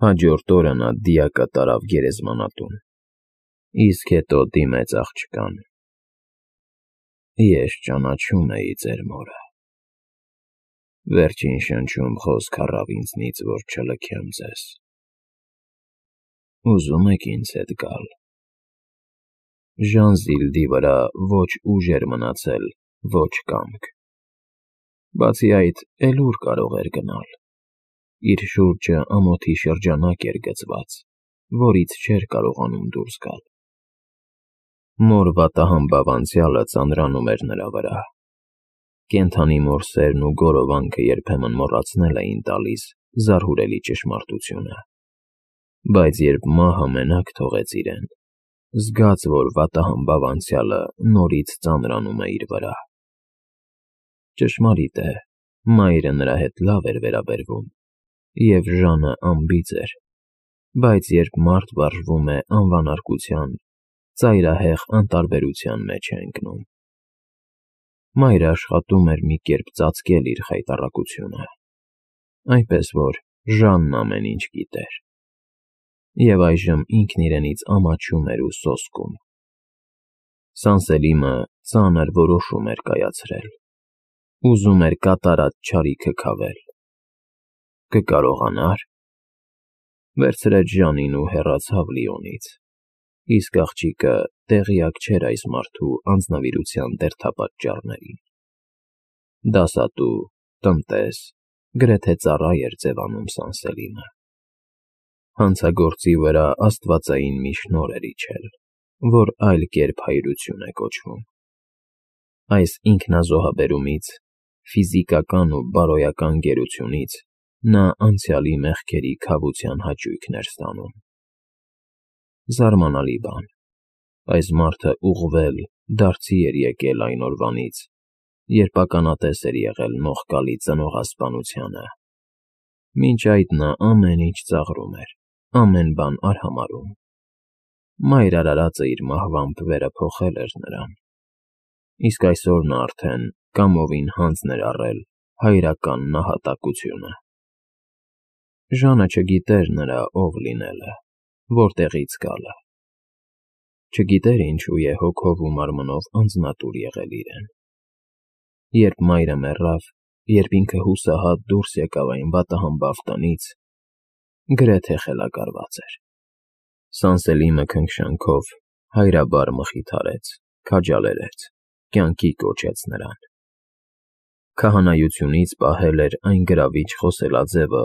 Հաջորդ օրը նա դիակը տարավ գերեզմանատուն, իսկ հետո դիմեց աղջկան. «Ես ճանաչում էի ձեր մորը, վերջին շնչում խոսք առավ ինձնից, որ չլքեմ ձեզ, ուզում եք ինձ հետ գալ»։ Ժանզիլդի վրա ոչ ուժ էր մնացել, ոչ կամք, բացի այդ, էլ ուր կարող էր գնալ. իր շուրջը ամոթի շրջանակ էր գծված, որից չէր կարողանում դուրս գալ։ Մոր վատահամբավ անցյալը ծանրանում էր նրա վրա։ Կենդանի մոր սերն ու գորովանքը երբեմն մոռացնել էին տալիս զարհուրելի ճշմարտությունը, բայց երբ մահը մենակ թողեց իրեն, զգաց, որ վատահամբավ անցյալը նորից ծանրանում է իր վրա։ Ճշմարիտ է, մայրը նրա հետ լավ էր վերաբերվում, և Ժանը անբիծ էր, բայց երբ մարդ վարժվում է անվանարկության, ծայրահեղ անտարբերության մեջ է ընկնում։ Մայրը աշխատում էր մի կերպ ծածկել իր խայտառակությունը, այնպես որ Ժանն ամեն ինչ գիտեր, և այժմ ինքն իրենից ամաչում էր ու սոսկում։ Սանսելիմը ծանր որոշում էր կայացրել, ուզում էր կատարած չարիքը քավել։ Կկարողանա՞ր։ Վերցրեց Ժանին ու հեռացավ Լիոնից, իսկ աղջիկը տեղյակ չէր այս մարդու անձնվիրության դերդապատճառներին։ Դասատու, տնտես, գրեթե ծառա էր ձևանում Սանսելիմը։ Հանցագործի վրա աստվածային մի շնորհ էր իջել, որ այլ կերպ հայրություն է կոչվում։ Այս ինքնազոհաբերումից, ֆիզիկական ու բարոյական գերությունից նա անցյալի մեղքերի քավության հաճույքն էր ստանում։ Զարմանալի բան, այս մարդը ուղղվել, դարձի էր եկել այն օրվանից, երբ ականատես էր եղել նողկալի ծնողասպանությանը։ Մինչ այդ նա ամեն ինչ ծաղրում էր, ամեն բան արհամարհում։ Մայր արարածը իր մահվամբ վերը փոխել էր նրան, իսկ այսօր նա արդեն կամովին հանձն էր առել հայրական նահատակությունը։ Ժանը չգիտեր նրա ով լինելը, որտեղից գալը։ Չգիտեր ինչու է հոգով ու մարմնով անձնատուր եղել իրեն։ Երբ մայրը մեռավ, երբ ինքը հուսահատ դուրս եկավ այն վատահամբավ տնից, գրեթե խելագարված էր։ Սանսելիմը քնքշանքով հայրաբար մխիթարեց, քաջալերեց, կյանքի կոչեց նրան։ Քահանայությունից պահել էր այն գրավիչ խոսելաձևը,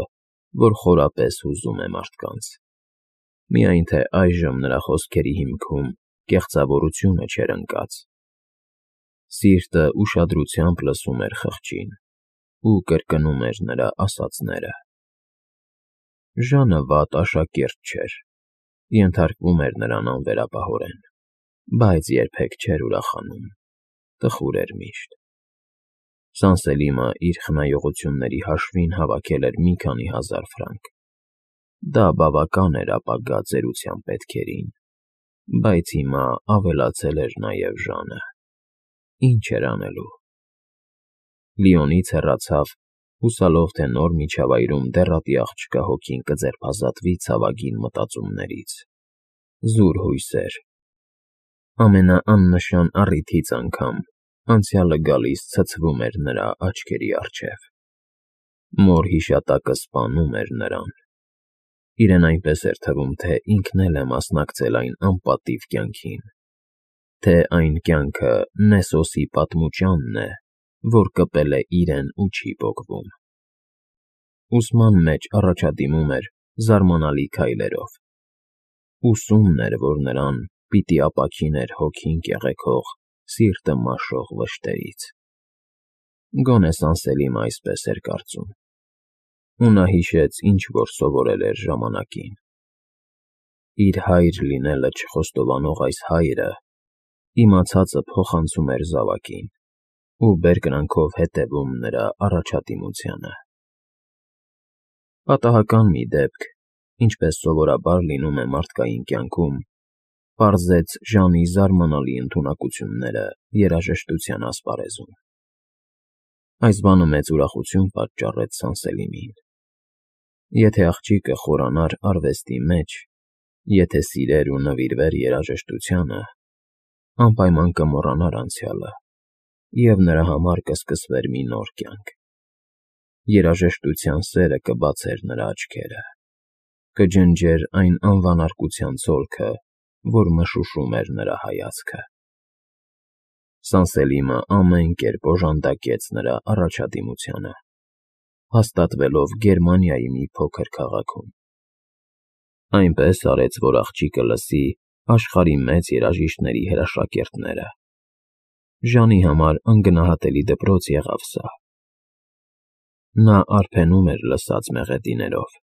որ խորապես հուզում է մարդկանց։ Միայն թե այժմ նրա խոսքերի հիմքում կեղծավորությունը չէր ընկած։ Սիրտը ուշադրությամբ լսում էր խղճին ու կրկնում էր նրա ասածները։ Ժանը վատ աշակերտ չէր, ենթարկվում էր նրան անվերապահորեն, բայց երբեք չէր ուրախանում, տխուր էր միշտ։ Սանսելիմը իր խնայողությունների հաշվին հավաքել էր մի քանի հազար ֆրանկ։ Դա բավական էր ապագա ծերության պետքերին, բայց հիմա ավելացել էր նաև Ժանը։ Ինչ էր անելու։ Լիոնից հեռացավ, հուսալով, թե նոր միջավայրում դեռատի աղջկա հոգին կձերբազատվի ցավագին մտածումներից։ Զուր հույսեր։ Ամենաաննշան առիթից անգամ անցյալը գալիս ցցվում էր նրա աչքերի առջև։ Մոր հիշատակը սպանում էր նրան։ Իրեն այնպես էր թվում, թե ինքն էլ է մասնակցել այն անպատիվ կյանքին, թե այն կյանքը Նեսոսի պատմուճանն է, որ կպել է իրեն ու չի պոկվում։ Ուսման մեջ առաջադիմում էր զարմանալի քայլերով։ Ուսումն էր, որ նրան պիտի ապաքիներ հոգին կեղեքող, սիրտը մաշող վշտերից։ Գոնե Սանսելիմը այսպես էր կարծում։ Ու նա հիշեց, ինչ որ սովորել էր ժամանակին։ Իր հայր լինելը չխոստովանող այս հայրը իմացածը փոխանցում էր զավակին ու բերկրանքով հետևում նրա առաջադիմությանը։ Պատահական մի դեպք, ինչպես սովորաբար լինում է մարդկային կյանքում, պարզեց Ժանի զարմանալի ընդունակությունները երաժշտության ասպարեզում։ Այս բանը մեծ ուրախություն պատճառեց Սանսելիմին։ Եթե աղջիկը խորանար արվեստի մեջ, եթե սիրեր ու նվիրվեր երաժշտությանը, անպայման կմոռանար անցյալը, և նրա համար կսկսվեր մի նոր կյանք։ Երաժշտության սերը կբացեր նրա աչքերը, կջնջեր այն անվանարկության ցոլքը, որ մշուշում էր նրա հայացքը։ Սանսելիմը ամեն կերպ օժանդակեց նրա առաջադիմությանը, հաստատվելով Գերմանիայի մի փոքր քաղաքում։ Այնպես արեց, որ աղջիկը լսի աշխարհի մեծ երաժիշտների հրաշակերտները։ Ժանի համար անգնահատելի դպրոց եղավ սա։ Նա արբենում էր լսած մեղեդիներով,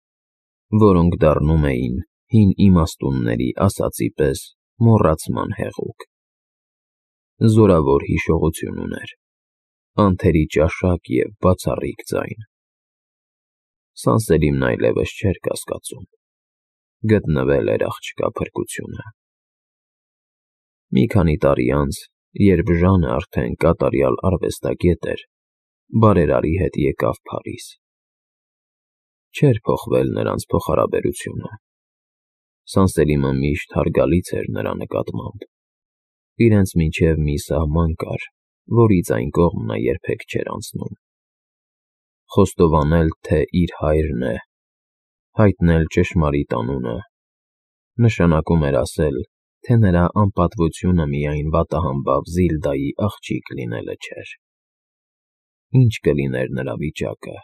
որոնք դառնում էին հին իմաստունների ասածի պես մոռացման հեղուկ։ Զորավոր հիշողություն ուներ, անթերի ճաշակ և բացառիկ ձայն։ Սանսելիմն այլևս չէր կասկածում, գտնվել էր աղջկա փրկությունը։ Մի քանի տարի անց, երբ Ժանը արդեն կատարյալ արվեստագետ էր, բարերարի հետ եկավ Փարիզ։ Չէր փոխվել նրանց փոխհարաբերությունը։ Սանսելիմը միշտ հարգալից էր նրա նկատմամբ։ Իրենց միջև մի սահման կար, որից այն կողմ նա երբեք չէր անցնում։ Խոստովանել, թե իր հայրն է, հայտնել ճշմարիտ անունը, նշանակում էր ասել, թե նրա անպատվությունը միայն վատահամբավ Զիլդայի աղջիկ լինելը չէր։ Ինչ կլիներ նրա վիճակը,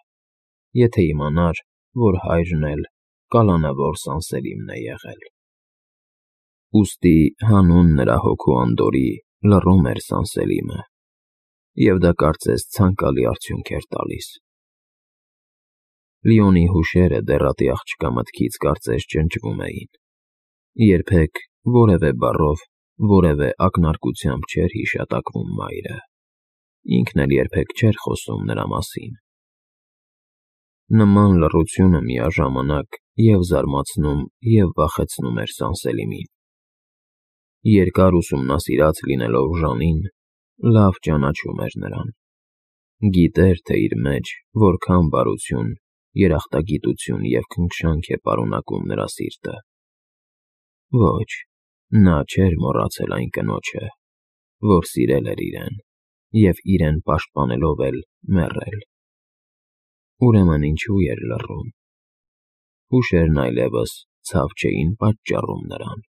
եթե իմանար, որ հայրն էլ կալանավոր Սանսելիմն է եղել։ Ուստի հանուն նրա հոգու անդորրի լռում էր Սանսելիմը, և դա կարծես ցանկալի արդյունք էր տալիս։ Լիոնի հուշերը դեռատի աղջկա մտքից կարծես ջնջվում էին։ Երբեք որևէ բառով, որևէ ակնարկությամբ չէր հիշատակվում մայրը։ Ինքն էլ երբեք չէր խոսում նրա մասին։ Նման լռությունը միաժամանակ և զարմացնում, և վախեցնում էր Սանսելիմին։ Երկար ուսումնասիրած լինելով Ժանին, լավ ճանաչում էր նրան։ Գիտեր, թե իր մեջ որքան բարություն, երախտագիտություն և քնքշանք է պարունակում նրա սիրտը։ Ոչ, նա չէր մոռացել այն կնոջը, որ սիրել էր իրեն և իրեն պաշտպանելով էլ մեռել։ Ուրեմն ինչու էր լռում։ Հուշերն այլևս ցավ չէին պատճառում նրան։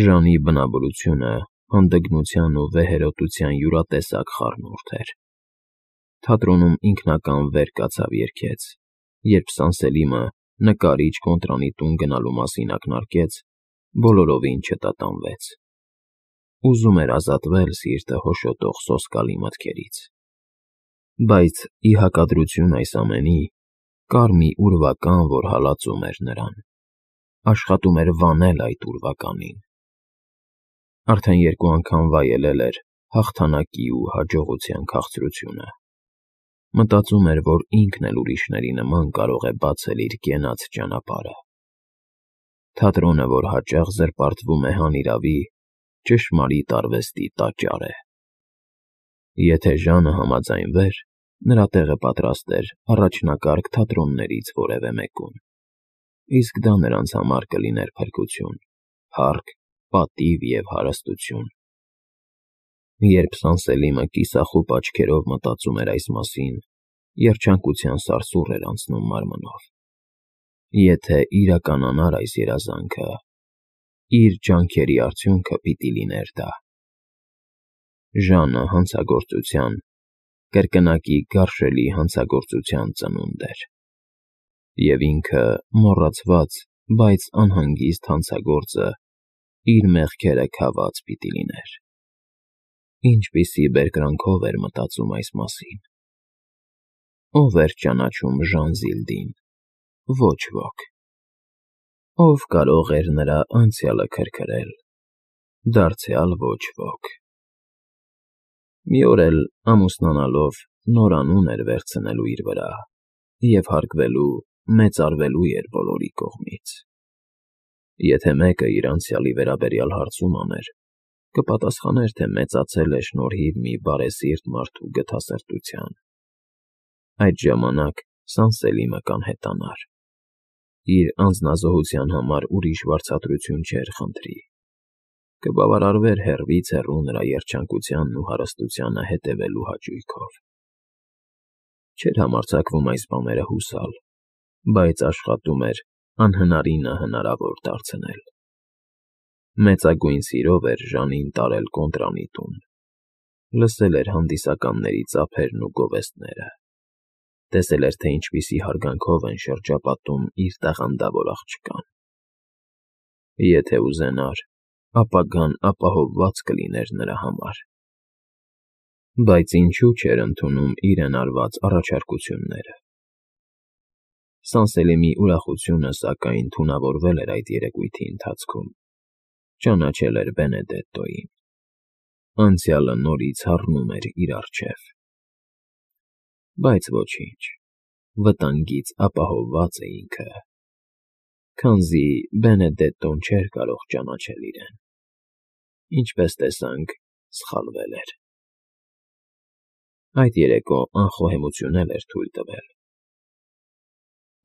Ժանի բնավորությունը հանդգնության ու վեհերոտության յուրատեսակ խառնուրդ էր։ Թատրոնում ինքնական վեր կացավ երգեց, երբ Սանսելիմը նկարիչ Կոնտրանի տուն գնալու մասին ակնարկեց, բոլորովին չտատանվեց։ Ուզում էր ազատվել սիրտը հոշոտող սոսկալի մտքերից։ Բայց ի հակադրություն այս ամենի, կար մի ուրվական, որ հալածում էր նրան, աշխատում էր վանել այդ ուրվականին։ Արդեն 2 անգամ վայելել էր հաղթանակի ու հաջողության քաղցրությունը։ Մտածում էր, որ ինքն էլ ուրիշների նման կարող է բացել իր կենաց ճանապարհը։ Թատրոնը, որ հաճախ զրպարտվում է հանիրավի, ճշմարիտ արվեստի տաճար է։ Եթե Ժանը համաձայնվեր, նրա տեղը պատրաստ էր առաջնակարգ թատրոններից որևէ մեկում։ Իսկ դա նրանց համար կլիներ փրկություն, փառք, պատիվ և հարստություն։ Երբ Սանսելիմը կիսախուպ աչքերով մտածում էր այս մասին, երջանկության սարսուռ էր անցնում մարմնով։ Եթե իրականանար այս երազանքը, իր ջանքերի արդյունքը պիտի լիներ դա։ Ժանը հանցագործության, կրկնակի գարշելի հանցագործության ծնունդ էր։ Եվ ինքը մոռացված, բայց անհանգիստ հանցագործը իր մեղքերը քաված պիտի լիներ։ Ինչպիսի բերկրանքով էր մտածում այս մասին։ Ո՞վ էր ճանաչում Ժան Զիլդին։ Ոչ ոք։ Ո՞վ կարող էր նրա անցյալը քրքրել։ Դարձյալ ոչ ոք։ Մի օր էլ ամուսնանալով նոր անուն էր վերցնելու իր վրա և հարգվելու, մեծարվելու էր բոլորի կողմից։ Եթե մեկը իր անցյալի վերաբերյալ հարցում աներ, կպատասխաներ, թե մեծացել է շնորհիվ մի բարեսիրտ մարդու գթասրտության։ Այդ ժամանակ Սանսելիմը կանհետանար։ Իր անձնազոհության համար ուրիշ վարձատրություն չէր խնդրի։ Կբավարարվեր հեռվից հեռու նրա երջանկությանն ու հարստությանը հետևելու հաճույքով։ Չէր համարձակվում այս բաները հուսալ, բայց աշխատում էր անհնարինը հնարավոր դարձնել։ Մեծագույն սիրով էր Ժանին տարել կոնտրանի տուն։ Լսել էր հանդիսականների ծափերն ու գովեստները։ Տեսել էր, թե ինչպիսի հարգանքով են շրջապատում իր տաղանդավոր աղջկան։ Եթե ուզենար, ապագան ապահովված կլիներ նրա համար։ Բայց ինչու չէր ընդունում իրեն արված առաջարկությունները։ Սանսելիմի ուրախությունը, սակայն, թունավորվել էր այդ երեկույթի ընթացքում։ Ճանաչել էր Բենեդետտոյին։ Անցյալը նորից հառնում էր իր առջև։ Բայց ոչինչ, վտանգից ապահովված է ինքը, քանզի Բենեդետտոն չէր կարող ճանաչել իրեն։ Ինչպես տեսանք, սխալվել էր։ Այդ երեկո անխոհեմություն էր թույլ տվել։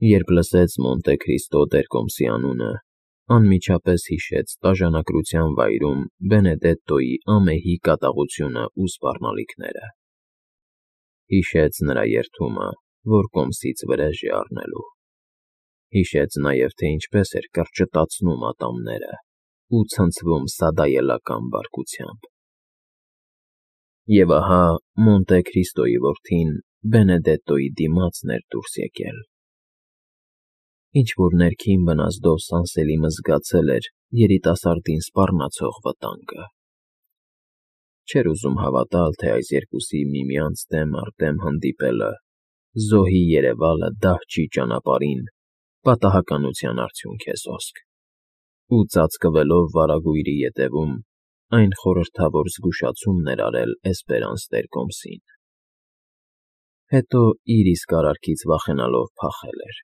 Երբ լսեց Մոնտե Քրիստո Տեր-Կոմսի անունը, անմիջապես հիշեց տաժանակրության վայրում Բենեդետտոյի ամեհի կատաղությունը ու սպառնալիքները։ Հիշեց նրա երդումը, որ կոմսից վրեժ է առնելու։ Հիշեց նաև, թե ինչպես էր կրճտացնում ատամները ու ցնցվում սադայելական բարկությամբ։ Եվ ահա Մոնտե Քրիստոյի որդին Բենեդետտոյի դիմացն էր դուրս եկել։ Ինչ-որ ներքին վնասդով Սանսելիմը զգացել էր երիտասարդին սպառնացող վտանգը։ Չէր ուզում հավատալ, թե այս երկուսի միմյանց դեմ առ դեմ հանդիպելը, զոհի երևալը դահճի ճանապարհին պատահականության արդյունք է սոսկ, ու ծածկվելով վարագույրի ետևում, այն խորհրդավոր զգուշացումն էր արել Էսպերանս Տեր-Կոմսին։ Հետո իր իսկ արարքից վախենալով փախել էր։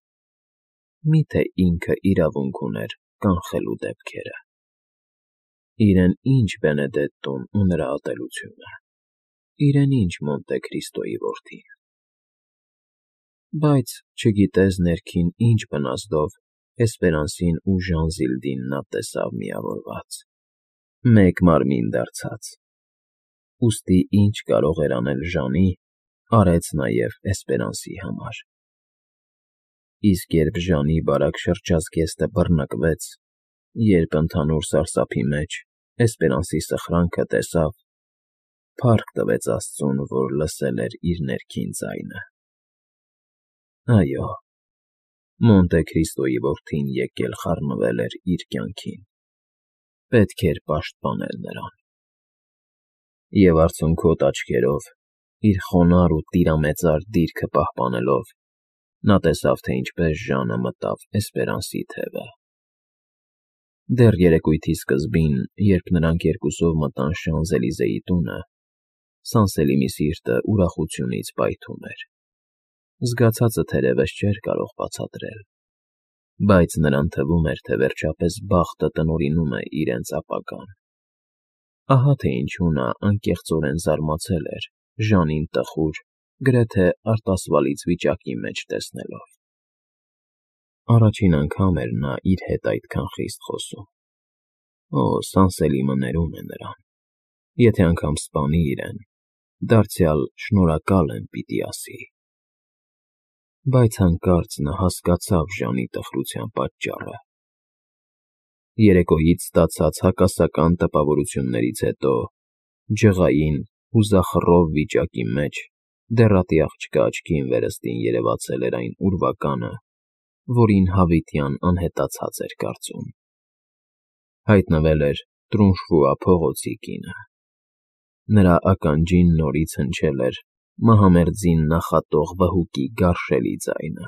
Միթե ինքը իրավունք ուներ կանխելու դեպքերը։ Իրեն ինչ Բենեդետտոն ու նրա ատելությունը, իրեն ինչ Մոնտե Քրիստոյի որդին։ Բայց չգիտես ներքին ինչ վնասդով Էսպերանսին ու Ժանզիլդին նա տեսավ միավորված, մեկ մարմին դարձած։ Ուստի ինչ կարող էր անել Ժանի, արեց նաև Էսպերանսի համար։ Իսկ երբ Ժանի բարակ շրջազգեստը բռնկվեց, երբ ընդհանուր սարսափի մեջ Էսպերանսի սխրանքը տեսավ, փառք տվեց Աստծուն, որ լսել էր իր ներքին ձայնը։ Այո, Մոնտե Քրիստոյի որդին եկել խառնվել էր իր կյանքին։ Պետք էր պաշտպանել նրան։ Եվ արցունքոտ աչքերով, իր խոնարհ ու տիրամեծար դիրքը պահպանելով, նա տեսավ, թե ինչպես Ժանը մտավ Էսպերանսի թևը։ Դեռ երեկույթի սկզբին, երբ նրանք երկուսով մտան Շանզելիզեի տունը, Սանսելիմի սիրտը ուրախությունից պայթում էր։ Զգացածը թերևս չէր կարող բացատրել, բայց նրան թվում էր, թե վերջապես բախտը տնօրինում է իրենց ապագան։ Ահա թե ինչու նա անկեղծորեն զարմացել էր Ժանին տխուր, գրեթե արտասվալից վիճակի մեջ տեսնելով։ Առաջին անգամ էր նա իր հետ այդքան խիստ խոսում։ Օ, Սանսելիմը ներում է նրան։ Եթե անգամ սպանի իրեն, դարձյալ շնորհակալ եմ պիտի ասի։ Բայց հանկարծ նա հասկացավ Ժանի տխրության պատճառը։ Երեկոյից ստացած հակասական տպավորություններից հետո, ջղային, հուզախռով վիճակի մեջ, դեռատի աղջկա աչքին վերստին երևացել էր այն ուրվականը, որին հավիտյան անհետացած էր կարծում։ Հայտնվել էր Տրունշվուա փողոցի կինը։ Նրա ականջին նորից հնչել էր մահամերձին նախատող վհուկի գարշելի ձայնը։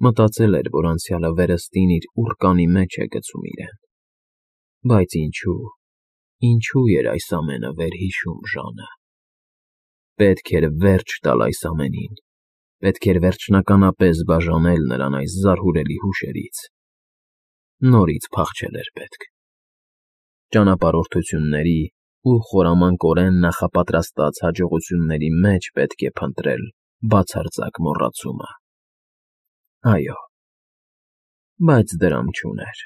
Մտածել էր, որ անցյալը վերստին իր ուռկանի մեջ է գցում իրեն։ Բայց ինչու էր այս ամենը վերհիշում Ժանը։ Պետք էր վերջ տալ այս ամենին։ Պետք էր վերջնականապես բաժանել նրան այս զարհուրելի հուշերից։ Նորից փախչել էր պետք։ Ճանապարհորդությունների ու խորամանկորեն նախապատրաստած հաջողությունների մեջ պետք է փնտրել բացարձակ մոռացումը։ Այո, բայց դրամ չուներ։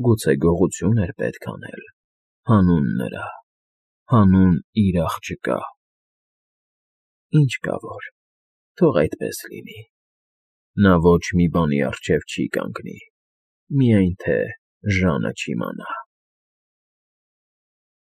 Գուցե գողություն էր պետք անել, հանուն նրա, հանուն իր աղջկա։ Ինչ կա որ, թող այդպես լինի։ Նա ոչ մի բանի առջև չի կանգնի, միայն թե Ժանը չիմանա։